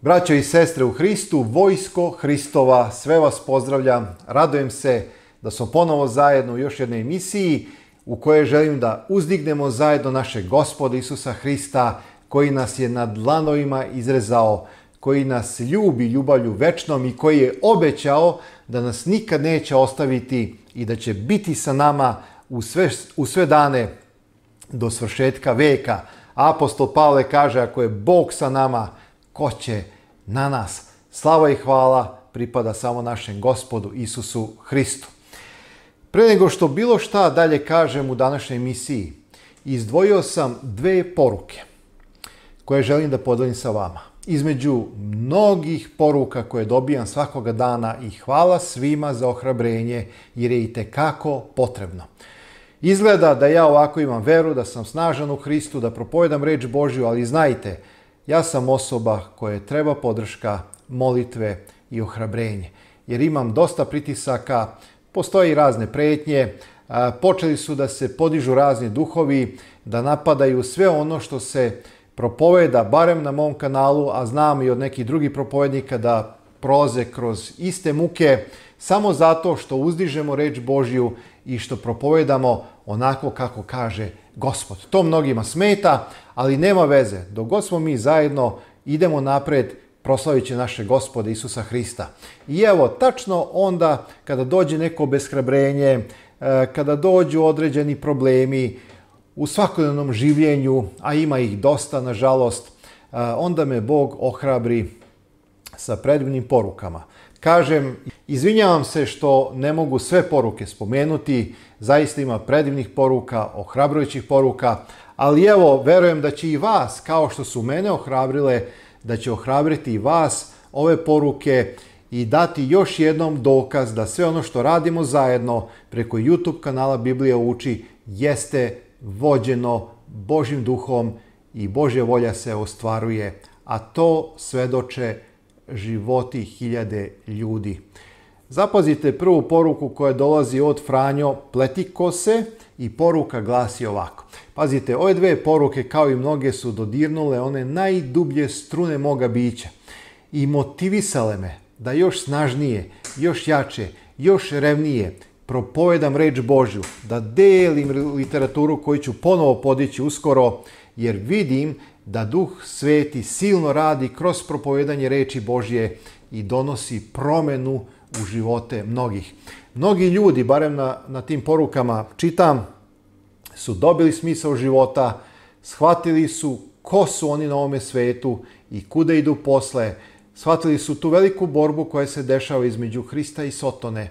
Braćo i sestre u Hristu, vojsko Hristova, sve vas pozdravljam. Radujem se da smo ponovo zajedno u još jednoj emisiji u kojoj želim da uzdignemo zajedno našeg Gospoda Isusa Hrista, koji nas je na dlanovima izrezao, koji nas ljubi ljubavlju večnom i koji je obećao da nas nikad neće ostaviti i da će biti sa nama u sve dane do svršetka veka. Apostol Pavle kaže, ako je Bog sa nama, ko će na nas? Slava i hvala pripada samo našem Gospodu Isusu Hristu. Pre nego što bilo šta dalje kažem u današnjoj emisiji, izdvojio sam dve poruke koje želim da podelim sa vama. Između mnogih poruka koje dobijam svakoga dana i hvala svima za ohrabrenje jer je itekako potrebno. Izgleda da ja ovako imam veru, da sam snažan u Hristu, da propovedam reč Božju, ali znajte, ja sam osoba koje treba podrška, molitve i ohrabrenje. Jer imam dosta pritisaka, postoje i razne pretnje, počeli su da se podižu razni duhovi, da napadaju sve ono što se propoveda, barem na mom kanalu, a znam i od nekih drugih propovednika da prolaze kroz iste muke, samo zato što uzdižemo reč Božju i što propovedamo onako kako kaže Gospod. To mnogima smeta, ali nema veze. Dok god smo mi zajedno, idemo napred proslavići našeg Gospoda Isusa Hrista. I evo, tačno onda kada dođe neko obeshrabrenje, kada dođu određeni problemi u svakodnevnom življenju, a ima ih dosta, nažalost, onda me Bog ohrabri sa predivnim porukama. Kažem, izvinjavam se što ne mogu sve poruke spomenuti, zaista ima predivnih poruka, ohrabrujućih poruka, ali evo, verujem da će i vas, kao što su mene ohrabrile, da će ohrabriti i vas ove poruke i dati još jednom dokaz da sve ono što radimo zajedno preko YouTube kanala Biblija uči jeste vođeno Božjim duhom i Božja volja se ostvaruje, a to svedoče životi hiljade ljudi. Zapazite prvu poruku koja dolazi od Franjo Pletikose i poruka glasi ovako. Pazite, ove dve poruke kao i mnoge su dodirnule one najdublje strune moga bića i motivisale me da još snažnije, još jače, još revnije propovedam reč Božju, da delim literaturu koju ću ponovo podići uskoro, jer vidim da Duh Sveti silno radi kroz propovedanje reči Božje i donosi promenu u živote mnogih. Mnogi ljudi, barem na tim porukama čitam, su dobili smisao života, shvatili su ko su oni na ovome svetu i kuda idu posle, shvatili su tu veliku borbu koja se dešava između Hrista i Sotone,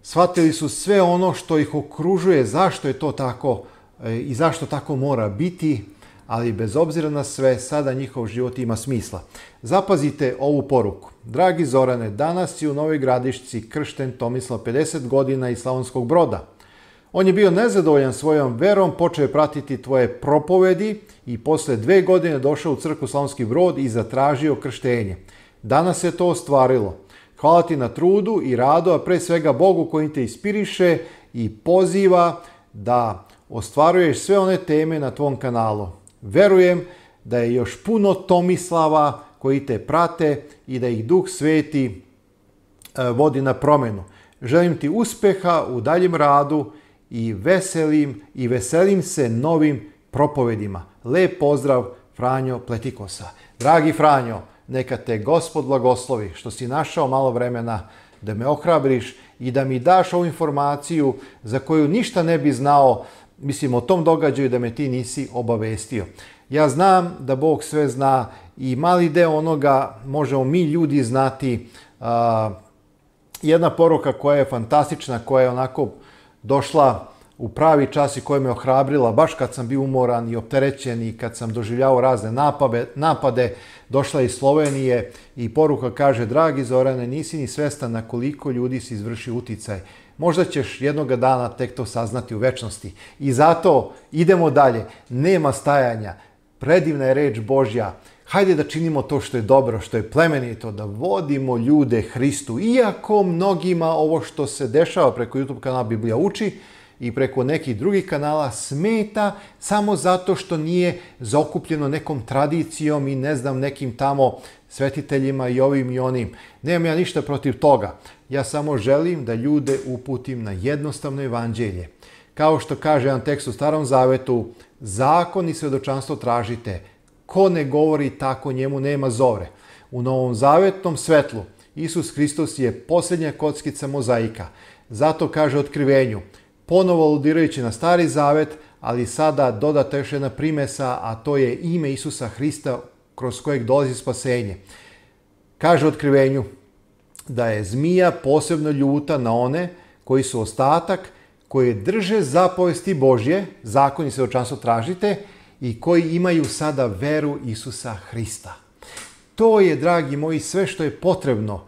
shvatili su sve ono što ih okružuje, zašto je to tako i zašto tako mora biti, ali bez obzira na sve, sada njihov život ima smisla. Zapazite ovu poruku. Dragi Zorane, danas si u Novoj Gradišci kršten Tomislav 50 godina iz Slavonskog Broda. On je bio nezadovoljan svojom verom, počeo je pratiti tvoje propovedi i posle 2 godine došao u crkvu Slavonski Brod i zatražio krštenje. Danas se to ostvarilo. Hvala ti na trudu i radu, a pre svega Bogu koji te inspiriše i poziva da ostvaruješ sve one teme na tvom kanalu. Verujem da je još puno Tomislava koji te prate i da ih Duh Sveti vodi na promenu. Želim ti uspeha u daljem radu i veselim se novim propovedima. Lep pozdrav, Franjo Pletikosa. Dragi Franjo, neka te Gospod blagoslovi što si našao malo vremena da me ohrabriš i da mi daš ovu informaciju za koju ništa ne bi znao, mislim o tom događaju da me ti nisi obavestio. Ja znam da Bog sve zna i mali deo onoga možemo mi ljudi znati. Jedna poruka koja je fantastična, koja je onako došla u pravi čas i koja me ohrabrila, baš kad sam bio umoran i opterećen i kad sam doživljavao razne napade, došla iz Slovenije i poruka kaže: dragi Zorane, nisi ni svestan na koliko ljudi si izvršio uticaj. Možda ćeš jednoga dana tek to saznati u večnosti. I zato idemo dalje. Nema stajanja. Predivna je reč Božja. Hajde da činimo to što je dobro, što je plemenito, da vodimo ljude Hristu. Iako mnogima ovo što se dešava preko YouTube kanala Biblija uči i preko nekih drugih kanala smeta samo zato što nije zaokupljeno nekom tradicijom i ne znam nekim tamo svetiteljima i ovim i onim. Nemam ja ništa protiv toga. Ja samo želim da ljude uputim na jednostavno evanđelje. Kao što kaže jedan tekst u Starom Zavetu, zakon i svedočanstvo tražite. Ko ne govori tako, njemu nema zore. U Novom Zavetnom svetlu Isus Hristos je posljednja kockica mozaika. Zato kaže Otkrivenju, ponovo aludirajući na Stari Zavet, ali sada dodata još jedna primesa, a to je ime Isusa Hrista kroz kojeg dolazi spasenje. Kaže Otkrivenju da je zmija posebno ljuta na one koji su ostatak, koji drže zapovesti Božje, zakon i svedočanstvo tražite, i koji imaju sada veru Isusa Hrista. To je, dragi moji, sve što je potrebno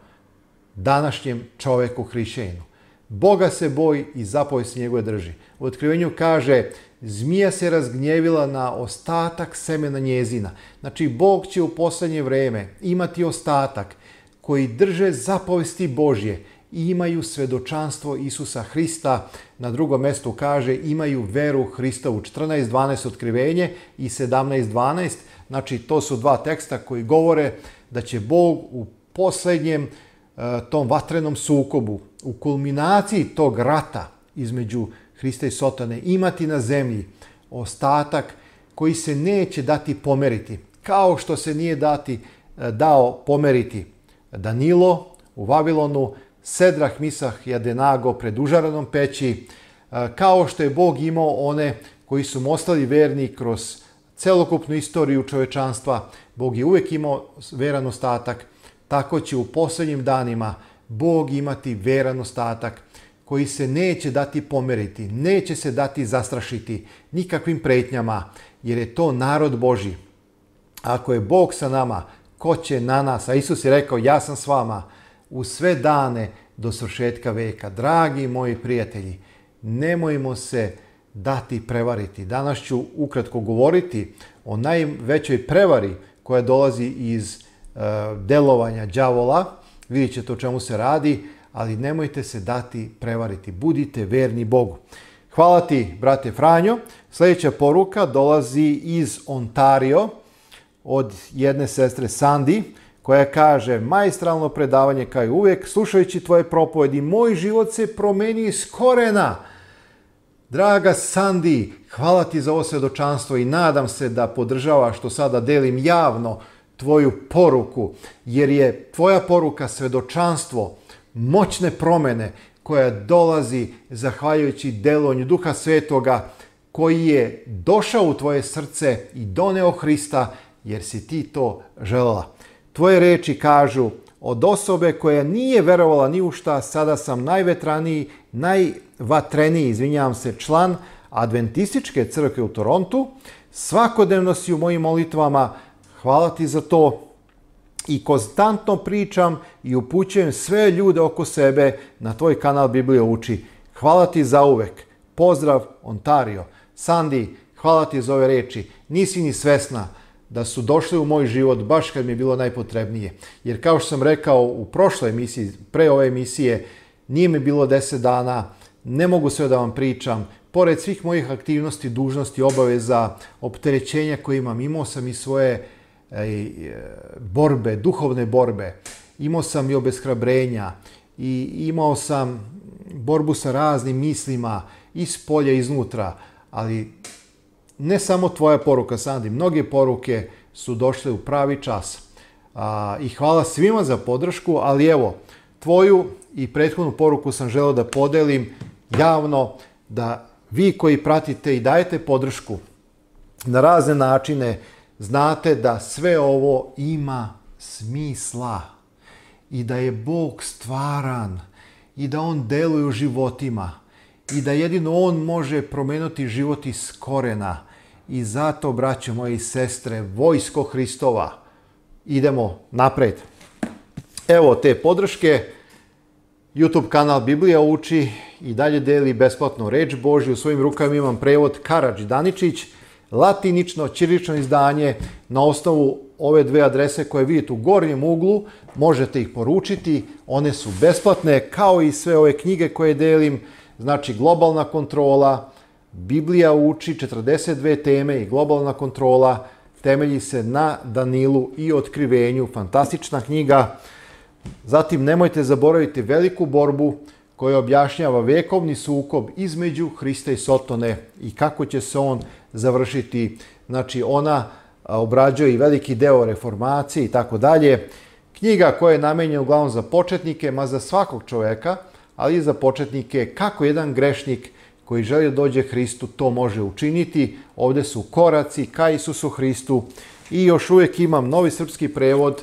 današnjem čoveku hrišćaninu. Boga se boji i zapovesti njegove drži. U Otkrivenju kaže, zmija se razgnjevila na ostatak semena njezina. Znači, Bog će u posljednje vreme imati ostatak koji drže zapovesti Božje i imaju svedočanstvo Isusa Hrista. Na drugom mjestu kaže, imaju veru Hristovu. 14.12 Otkrivenje i 17.12. Znači, to su dva teksta koji govore da će Bog u posljednjem tom vatrenom sukobu, u kulminaciji tog rata između Hrista i Sotone, imati na zemlji ostatak koji se neće dati pomeriti. Kao što se nije dao pomeriti Danilo u Vavilonu, Sedrah, Misah i Abenago pred užaranom peći, kao što je Bog imao one koji su mu ostali verni kroz celokupnu istoriju čovečanstva. Bog je uvijek imao veran ostatak, tako će u posljednjim danima Bog imati veran ostatak koji se neće dati pomeriti, neće se dati zastrašiti nikakvim pretnjama, jer je to narod Božji. Ako je Bog sa nama, ko će na nas? A Isus je rekao, ja sam s vama u sve dane do svršetka veka. Dragi moji prijatelji, nemojmo se dati prevariti. Danas ću ukratko govoriti o najvećoj prevari koja dolazi iz delovanja đavola. Vidjet ćete o čemu se radi, ali nemojte se dati prevariti. Budite verni Bogu. Hvala ti, brate Franjo. Sljedeća poruka dolazi iz Ontario od jedne sestre Sandi, koja kaže, maestralno predavanje kao i uvijek, slušajući tvoje propovedi, moj život se promeni iz korena. Draga Sandi, hvala ti za ovo svjedočanstvo i nadam se da podržavaš što sada delim javno tvoju poruku, jer je tvoja poruka svjedočanstvo moćne promjene koja dolazi zahvaljujući delovanju Duha Svetoga koji je došao u tvoje srce i doneo Hrista jer si ti to željela. Tvoje reči kažu, od osobe koja nije verovala ni u šta, sada sam najvatreniji član Adventističke crkve u Torontu. Svakodnevno si u mojim molitvama, hvala ti za to. I konstantno pričam i upućujem sve ljude oko sebe na tvoj kanal Biblija uči. Hvala ti za uvek. Pozdrav, Ontario. Sandi, hvala ti za ove reči. Nisi ni svesna da su došli u moj život baš kad mi je bilo najpotrebnije. Jer kao što sam rekao u prošloj emisiji, pre ove emisije, nije mi bilo 10 dana, ne mogu sve da vam pričam. Pored svih mojih aktivnosti, dužnosti, obaveza, opterećenja koje imam, imao sam i svoje borbe, duhovne borbe. Imao sam i obeshrabrenja i imao sam borbu sa raznim mislima iz polja i iznutra, ali ne samo tvoja poruka, Sandi, mnoge poruke su došle u pravi čas. I hvala svima za podršku, ali evo, tvoju i prethodnu poruku sam želeo da podelim javno, da vi koji pratite i dajete podršku na razne načine, znate da sve ovo ima smisla i da je Bog stvaran i da On deluje u životima i da jedino On može promeniti život iz korena. I zato, braćo moji i sestre, vojsko Hristova, idemo napred. Evo te podrške. YouTube kanal Biblija uči i dalje deli besplatno reč Božju. U svojim rukama imam prevod Karadžić-Daničić, latinično, ćirilično izdanje. Na osnovu ove dve adrese koje vidite u gornjem uglu možete ih poručiti. One su besplatne, kao i sve ove knjige koje delim. Znači globalna kontrola, Biblija uči 42 teme i globalna kontrola temelji se na Danilu i Otkrivenju, fantastična knjiga. Zatim nemojte zaboraviti veliku borbu koja objašnjava vekovni sukob između Hrista i Sotone i kako će se on završiti. Znači ona obrađuje i veliki deo reformacije i tako dalje. Knjiga koja je namenjena uglavnom za početnike, ma za svakog čoveka, ali i za početnike kako jedan grešnik koji želi da dođe Hristu to može učiniti. Ovdje su koraci ka Isusu Hristu i još uvijek imam novi srpski prevod.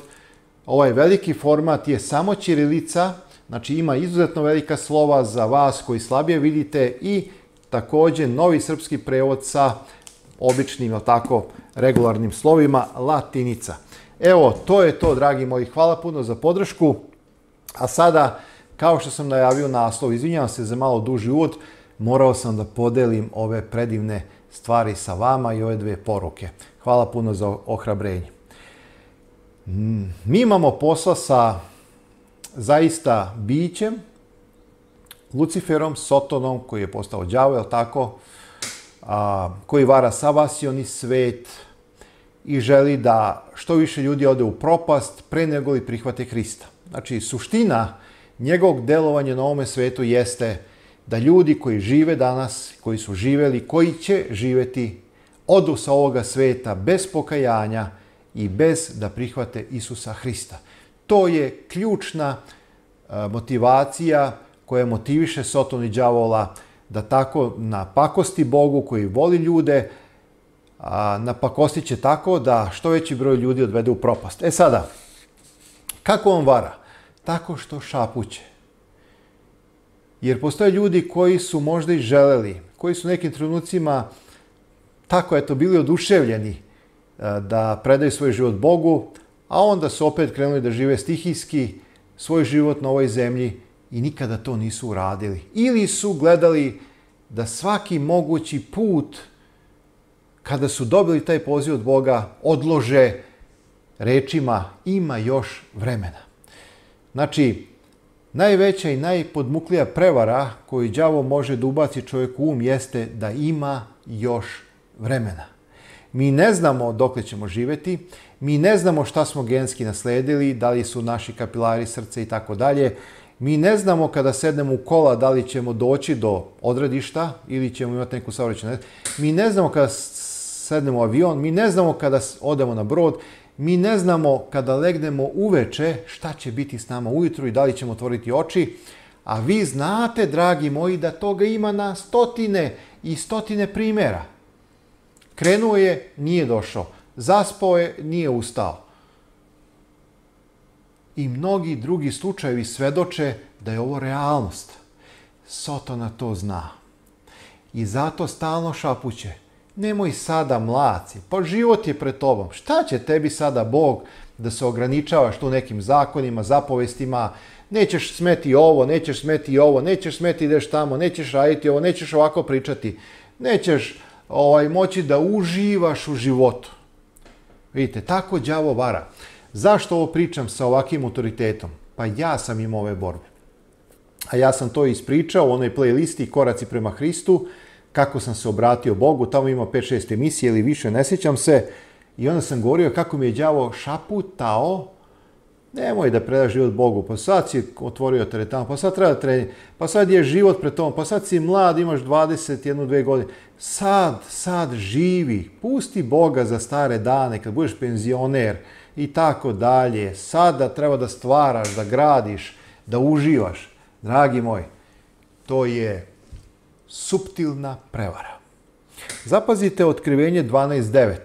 Ovaj veliki format je samo ćirilica, znači ima izuzetno velika slova za vas koji slabije vidite i također novi srpski prevod sa običnim, tako, regularnim slovima, latinica. Evo, to je to, dragi moji. Hvala puno za podršku. A sada, kao što sam najavio naslov, izvinjavam se za malo duži uvod, morao sam da podelim ove predivne stvari sa vama i ove dve poruke. Hvala puno za ohrabrenje. Mi imamo posla sa zaista bićem, Luciferom, Sotonom, koji je postao đavo, je li tako? Koji vara savasioni svet i želi da što više ljudi ode u propast pre nego li prihvate Hrista. Znači, suština njegovog delovanja na ovome svetu jeste da ljudi koji žive danas, koji su živeli, koji će živeti, odu sa ovoga sveta bez pokajanja i bez da prihvate Isusa Hrista. To je ključna motivacija koja motiviše Sotonu i đavola da tako napakosti Bogu koji voli ljude, napakostit će tako da što veći broj ljudi odvede u propast. E sada, kako on vara? Tako što šapuće. Jer postoje ljudi koji su možda i želeli, koji su nekim trenucima tako bili oduševljeni da predaju svoj život Bogu, a onda su opet krenuli da žive stihijski svoj život na ovoj zemlji i nikada to nisu uradili. Ili su gledali da svaki mogući put, kada su dobili taj poziv od Boga, odlože rečima ima još vremena. Znači, najveća i najpodmuklija prevara koju đavo može da ubaci čovjeku u jeste da ima još vremena. Mi ne znamo dokle ćemo živjeti, mi ne znamo šta smo genski nasledili, da li su naši kapilari, srce i tako dalje. Mi ne znamo kada sednemo u kola da li ćemo doći do odredišta ili ćemo imati neku saobraćajnu nesreću. Mi ne znamo kada sednemo u avion, mi ne znamo kada odemo na brod, mi ne znamo kada legnemo uveče šta će biti s nama ujutru i da li ćemo otvoriti oči. A vi znate, dragi moji, da toga ima na stotine i stotine primjera. Krenuo je, nije došao. Zaspao je, nije ustao. I mnogi drugi slučajevi svedoče da je ovo realnost. Sotona to zna. I zato stalno šapuće. Nemoj sada, mlaci, pa život je pred tobom. Šta će tebi sada Bog da se ograničavaš tu nekim zakonima, zapovestima? Nećeš smeti ovo, nećeš smeti ovo, nećeš smeti ideš tamo, nećeš raditi ovo, nećeš ovako pričati. Nećeš moći da uživaš u životu. Vidite, tako đavo vara. Zašto ovo pričam sa ovakvim autoritetom? Pa ja sam imao ove borbe. A ja sam to ispričao u onoj playlisti Koraci prema Hristu, kako sam se obratio Bogu, tamo ima 5-6 emisije ili više, ne sjećam se. I onda sam govorio kako mi je đavo šaputao, nemoj da predaš život Bogu, pa sad si otvorio teretanu, pa sad treba trenirati, pa sad je život pred tobom, pa sad si mlad, imaš 21-2 godine. Sad živi, pusti Boga za stare dane, kad budeš penzioner i tako dalje. Sada treba da stvaraš, da gradiš, da uživaš. Dragi moj, to je suptilna prevara. Zapazite Otkrivenje 12.9.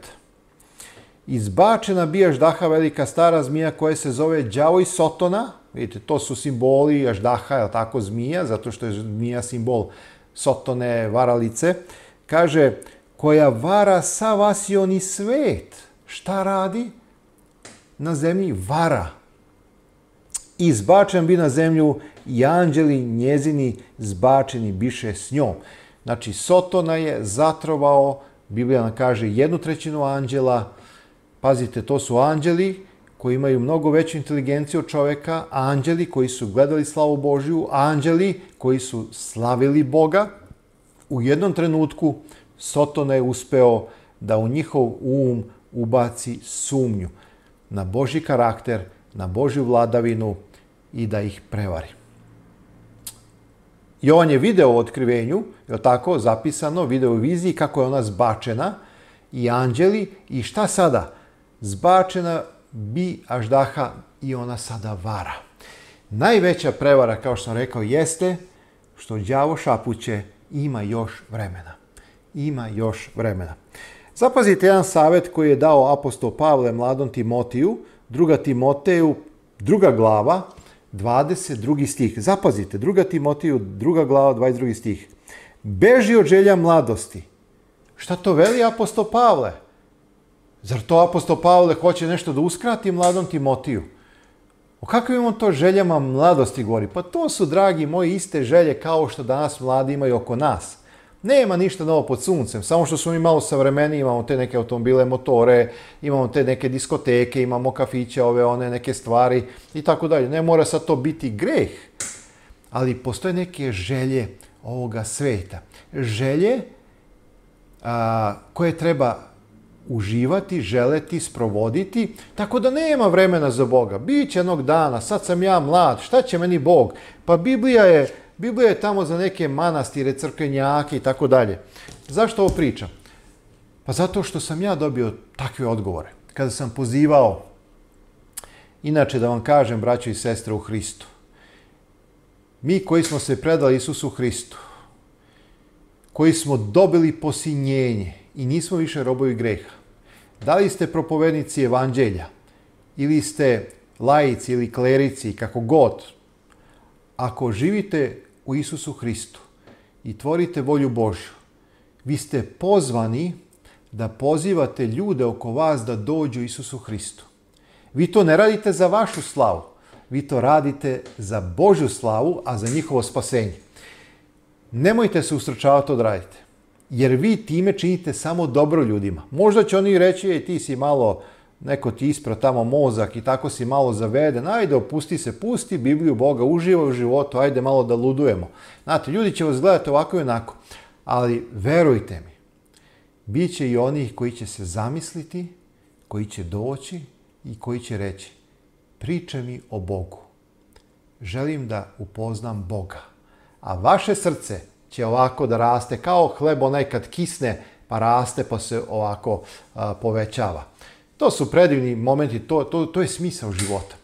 Izbačena bija ždaha, velika stara zmija koja se zove đavo i Sotona. Vidite, to su simboli ždaha, je tako, zmija, zato što je zmija simbol Sotone, varalice. Kaže, koja vara savasioni svet. Šta radi? Na zemlji vara. Izbačen bi na zemlju i anđeli njezini zbačeni biše s njom. Znači, Sotona je zatrovao, Biblija nam kaže, 1/3 anđela. Pazite, to su anđeli koji imaju mnogo veću inteligenciju od čoveka, anđeli koji su gledali slavu Božju, anđeli koji su slavili Boga. U jednom trenutku Sotona je uspeo da u njihov ubaci sumnju na Božji karakter, na Božju vladavinu i da ih prevari. Jovan je video u otkrivenju, je tako zapisano, video u viziji kako je ona zbačena i anđeli i šta sada? Zbačena bi aždaha i ona sada vara. Najveća prevara, kao što sam rekao, jeste što đavo šapuće ima još vremena. Ima još vremena. Zapazite jedan savjet koji je dao apostol Pavle mladom Timotiju, 2. Timoteju, 2. glava, 22. stih. Zapazite, 2. Timotiju, 2. glava, 22. stih. Beži od želja mladosti. Šta to veli apostol Pavle? Zar to apostol Pavle hoće nešto da uskrati mladom Timotiju? O kakvim on to željama mladosti govori? Pa to su, dragi moji, iste želje kao što danas mladi imaju oko nas. Nema ništa novo pod suncem, samo što smo mi malo savremeniji, imamo te neke automobile, motore, imamo te neke diskoteke, imamo kafiće, one neke stvari i tako dalje. Ne mora sad to biti greh, ali postoje neke želje ovoga sveta. Želje koje treba uživati, želeti, sprovoditi, tako da nema vremena za Boga. Biće jednog dana, sad sam ja mlad, šta će meni Bog? Pa Biblija je tamo za neke manastire, crkvenjake i tako dalje. Zašto ovo pričam? Pa zato što sam ja dobio takve odgovore. Kada sam pozivao, inače da vam kažem, braćo i sestre u Hristu, mi koji smo se predali Isusu Hristu, koji smo dobili posinjenje i nismo više robovi greha, da li ste propovednici evanđelja, ili ste laici ili klerici, kako god, ako živite u Isusu Hristu i tvorite volju Božju, vi ste pozvani da pozivate ljude oko vas da dođu Isusu Hristu. Vi to ne radite za vašu slavu, vi to radite za Božju slavu, a za njihovo spasenje. Nemojte se ustručavati to da radite, jer vi time činite samo dobro ljudima. Možda će oni reći, ti si malo, neko ti ispra tamo mozak i tako si malo zaveden, ajde opusti se, pusti Bibliju Boga, uživaj u životu, ajde malo da ludujemo. Znate, ljudi će vas gledati ovako i onako, ali verujte mi, bit će i onih koji će se zamisliti, koji će doći i koji će reći, pričaj mi o Bogu, želim da upoznam Boga, a vaše srce će ovako da raste kao hleb onaj kad kisne pa raste pa se ovako povećava. To su predivni momenti, to je smisao života.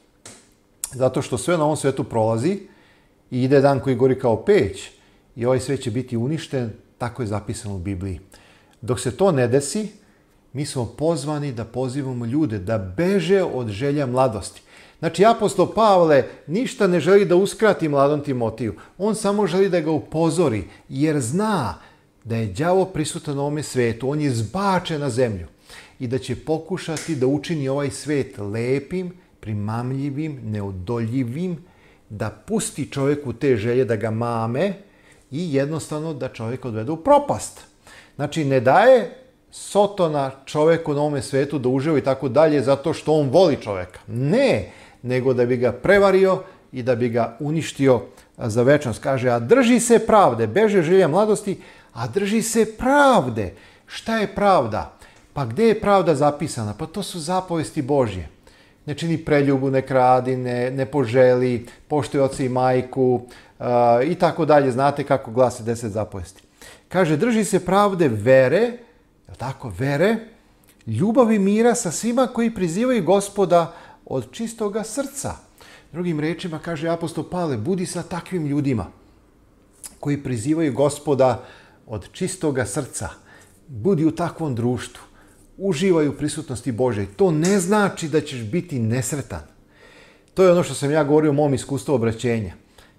Zato što sve na ovom svetu prolazi i ide dan koji gori kao peć i ovaj svet će biti uništen, tako je zapisano u Bibliji. Dok se to ne desi, mi smo pozvani da pozivamo ljude da beže od želja mladosti. Znači, apostol Pavle ništa ne želi da uskrati mladom Timotiju. On samo želi da ga upozori, jer zna da je đavo prisutan na ovome svetu. On je zbačen na zemlju i da će pokušati da učini ovaj svet lepim, primamljivim, neodoljivim, da pusti čovjeku te želje da ga mame i jednostavno da čovjek odvede u propast. Znači, ne daje Sotona čovjeku na ovome svetu da uživa i tako dalje zato što on voli čovjeka. Ne, nego da bi ga prevario i da bi ga uništio za večnost. Kaže, a drži se pravde, beže želja mladosti, a drži se pravde. Šta je pravda? Pa gdje je pravda zapisana? Pa to su zapovesti Božje. Ne čini preljubu, ne kradi, ne poželi, poštuje oca i majku i tako dalje. Znate kako glase 10 zapovesti. Kaže, drži se pravde, vere, vere, ljubavi, mira sa svima koji prizivaju Gospoda od čistoga srca. Drugim rečima, kaže apostol Pavle, budi sa takvim ljudima koji prizivaju Gospoda od čistoga srca. Budi u takvom društvu. Uživaj u prisutnosti Božje. To ne znači da ćeš biti nesretan. To je ono što sam ja govorio u mom iskustvu obraćenja.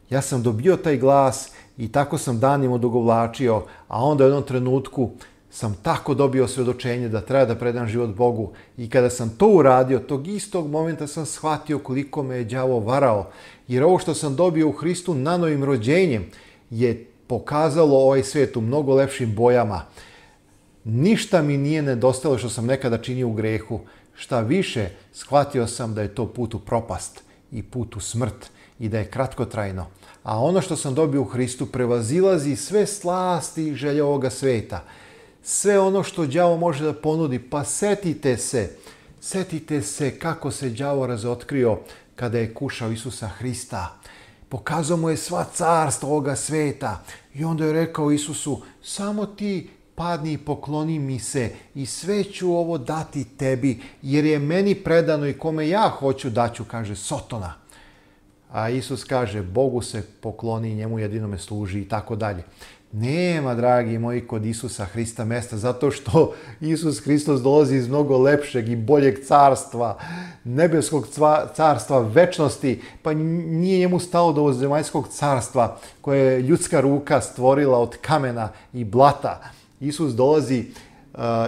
Ja sam dobio taj glas i tako sam danima odugovlačio, a onda u jednom trenutku sam tako dobio svjedočenje da treba da predam život Bogu. I kada sam to uradio, tog istog momenta sam shvatio koliko me je đavo varao. Jer ovo što sam dobio u Hristu nanovim rođenjem je pokazalo ovaj svijet u mnogo lepšim bojama. Ništa mi nije nedostajalo što sam nekada činio u grehu. Šta više, shvatio sam da je to put u propast i put u smrt i da je kratkotrajno. A ono što sam dobio u Hristu prevazilazi sve slasti i želje ovoga sveta. Sve ono što đavo može da ponudi. Pa setite se kako se đavo razotkrio kada je kušao Isusa Hrista. Pokazao mu je sva carstva ovoga sveta. I onda je rekao Isusu, samo ti padni i pokloni mi se i sve ću ovo dati tebi, jer je meni predano i kome ja hoću daću, kaže Sotona. A Isus kaže, Bogu se pokloni, njemu jedinome služi i tako dalje. Nema, dragi moji, kod Isusa Hrista mesta, zato što Isus Hristos dolazi iz mnogo lepšeg i boljeg carstva, nebeskog carstva, večnosti, pa nije njemu stalo do ovog zemaljskog carstva koje je ljudska ruka stvorila od kamena i blata. Isus dolazi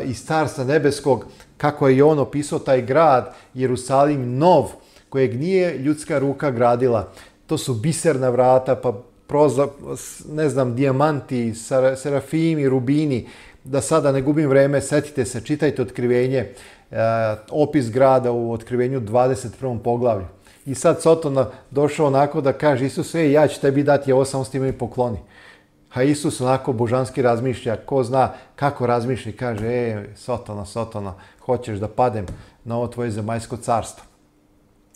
iz carstva nebeskog, kako je i on opisao taj grad, Jerusalim nov, kojeg nije ljudska ruka gradila. To su biserna vrata, pa dijamanti, serafimi, rubini. Da sada ne gubim vreme, setite se, čitajte Otkrivenje, opis grada u Otkrivenju 21. poglavlju. I sad Soton došao onako da kaže Isus, ja ću tebi dati ovo, samo s time mi pokloni. A Isus onako božanski razmišlja, ko zna kako razmišlja, kaže, Sotona, hoćeš da padem na ovo tvoje zemaljsko carstvo.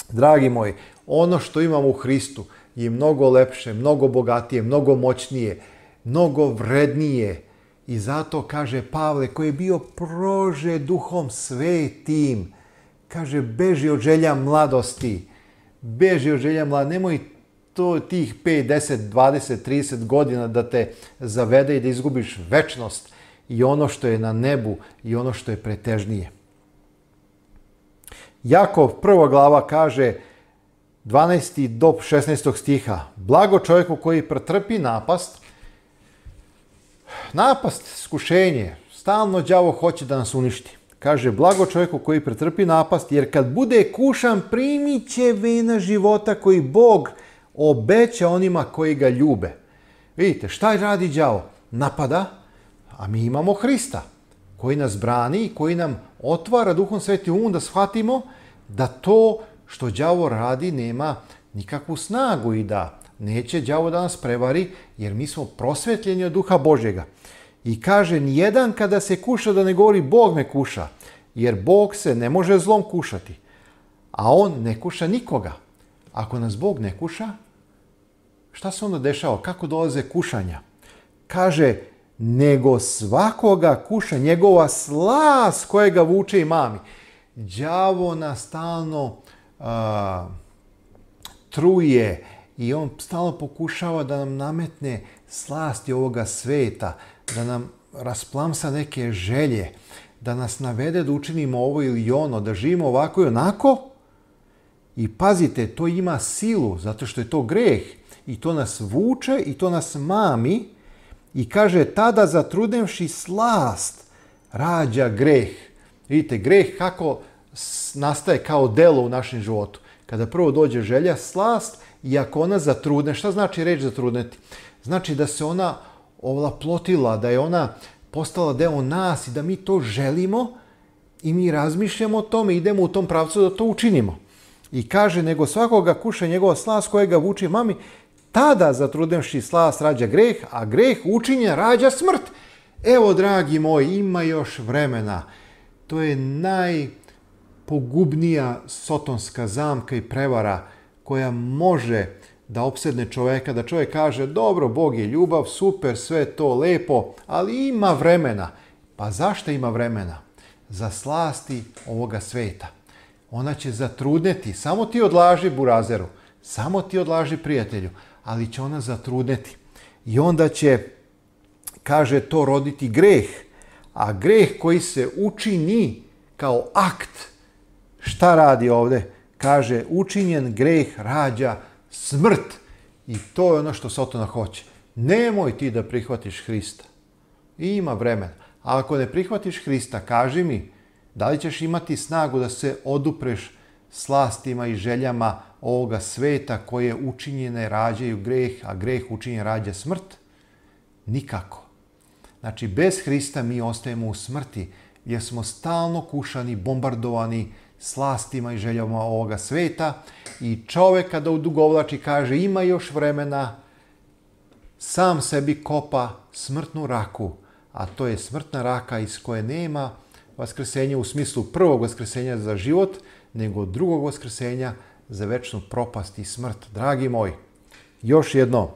Dragi moji, ono što imamo u Hristu je mnogo lepše, mnogo bogatije, mnogo moćnije, mnogo vrednije. I zato, kaže Pavle, koji je bio prože Duhom Svetim, kaže, beži od želja mladosti, nemoj tih 5, 10, 20, 30 godina da te zavede i da izgubiš večnost i ono što je na nebu i ono što je pretežnije. Jakov 1. glava kaže 12. do 16. stiha. Blago čovjeku koji pretrpi napast, iskušenje, stalno đavo hoće da nas uništi. Kaže, blago čovjeku koji pretrpi napast, jer kad bude kušan primit će vina života koji Bog obeća onima koji ga ljube. Vidite, šta radi đavo? Napada, a mi imamo Hrista koji nas brani i koji nam otvara Duhom Svetim da shvatimo da to što đavo radi nema nikakvu snagu i da neće đavo da nas prevari, jer mi smo prosvetljeni od Duha Božjega. I kaže, nijedan kada se kuša da ne govori Bog me kuša, jer Bog se ne može zlom kušati, a on ne kuša nikoga. Ako nas Bog ne kuša, šta se onda dešava? Kako dolaze kušanja? Kaže, nego svakoga kuša njegova slast kojega vuče i mami. Đavo nas stalno truje i on stalno pokušava da nam nametne slasti ovoga sveta, da nam rasplamsa neke želje, da nas navede da učinimo ovo ili ono, da živimo ovako i onako. I pazite, to ima silu, zato što je to greh. I to nas vuče i to nas mami. I kaže, tada zatrudnevši slast rađa greh. Vidite, greh kako nastaje kao delo u našem životu. Kada prvo dođe želja, slast, i ako ona zatrudne, šta znači reč zatrudneti? Znači da se ona ovlaplotila, da je ona postala deo nas i da mi to želimo i mi razmišljamo o tome, idemo u tom pravcu da to učinimo. I kaže, nego svakoga kuša njegova slast kojega vuče mami, tada zatrudnevši slast rađa greh, a greh učinjen rađa smrt. Evo, dragi moji, ima još vremena. To je najpogubnija sotonska zamka i prevara koja može da opsedne čoveka, da čovjek kaže, dobro, Bog je ljubav, super, sve to lepo, ali ima vremena. Pa zašto ima vremena? Za slasti ovoga sveta. Ona će zatrudneti. Samo ti odlaži, burazeru. Samo ti odlaži, prijatelju. Ali će ona zatrudneti. I onda će, kaže, to roditi greh. A greh koji se učini kao akt, šta radi ovdje? Kaže, učinjen greh rađa smrt. I to je ono što Sotona hoće. Nemoj ti da prihvatiš Hrista. Ima vremena. A ako ne prihvatiš Hrista, kaži mi, da li ćeš imati snagu da se odupreš slastima i željama ovoga sveta koje učinjene rađaju greh, a greh učinjen rađa smrt? Nikako. Znači, bez Hrista mi ostajemo u smrti. jer smo stalno kušani, bombardovani slastima i željama ovoga sveta i čovjek kada udugovlači kaže ima još vremena, sam sebi kopa smrtnu raku, a to je smrtna raka iz koje nema vaskrsenja u smislu prvog vaskrsenja za život, nego drugog vaskrsenja za večnu propast i smrt. Dragi moji, još jedno,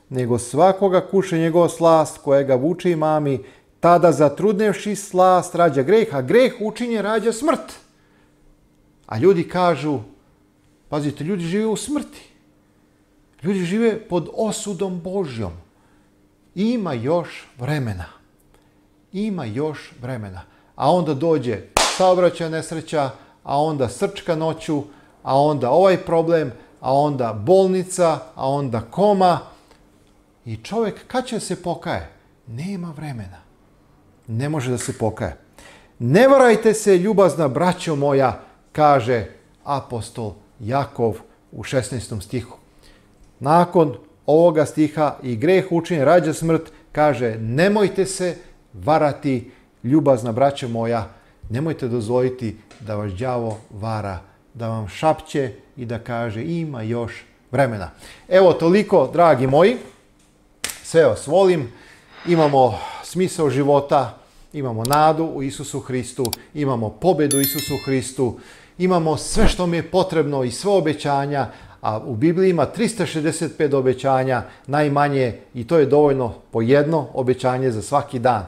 nego svakoga kuše njegova slast kojega vuče i mami, tada zatrudnevši slast rađa greh, a greh učinje rađa smrt. A ljudi kažu, pazite, ljudi žive u smrti. Ljudi žive pod osudom Božjom. Ima još vremena. Ima još vremena. A onda dođe saobraćajna nesreća, a onda srčka noću, a onda ovaj problem, a onda bolnica, a onda koma. I čovjek kad će se pokaje? Nema vremena. Ne može da se pokaje. Ne varajte se, ljubazna braćo moja, kaže apostol Jakov u 16. stihu. Nakon ovoga stiha i greh učinje rađa smrt, kaže nemojte se varati, ljubazna braćo moja, nemojte dozvoliti da vas đavo vara, da vam šapće i da kaže ima još vremena. Evo toliko, dragi moji, sve vas volim, imamo smisao života, imamo nadu u Isusu Hristu, imamo pobedu u Isusu Hristu, imamo sve što mi je potrebno i sve obećanja, a u Bibliji ima 365 obećanja, najmanje, i to je dovoljno po jedno obećanje za svaki dan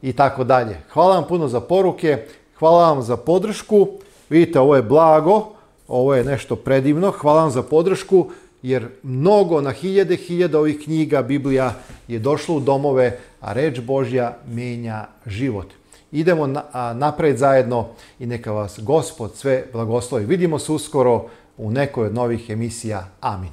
i tako dalje. Hvala vam puno za poruke, hvala vam za podršku, vidite ovo je blago, ovo je nešto predivno, hvala vam za podršku, jer mnogo na hiljade ovih knjiga, Biblija je došlo u domove, a reč Božja mijenja život. Idemo napred zajedno i neka vas Gospod sve blagoslovi. Vidimo se uskoro u nekoj od novih emisija. Amin.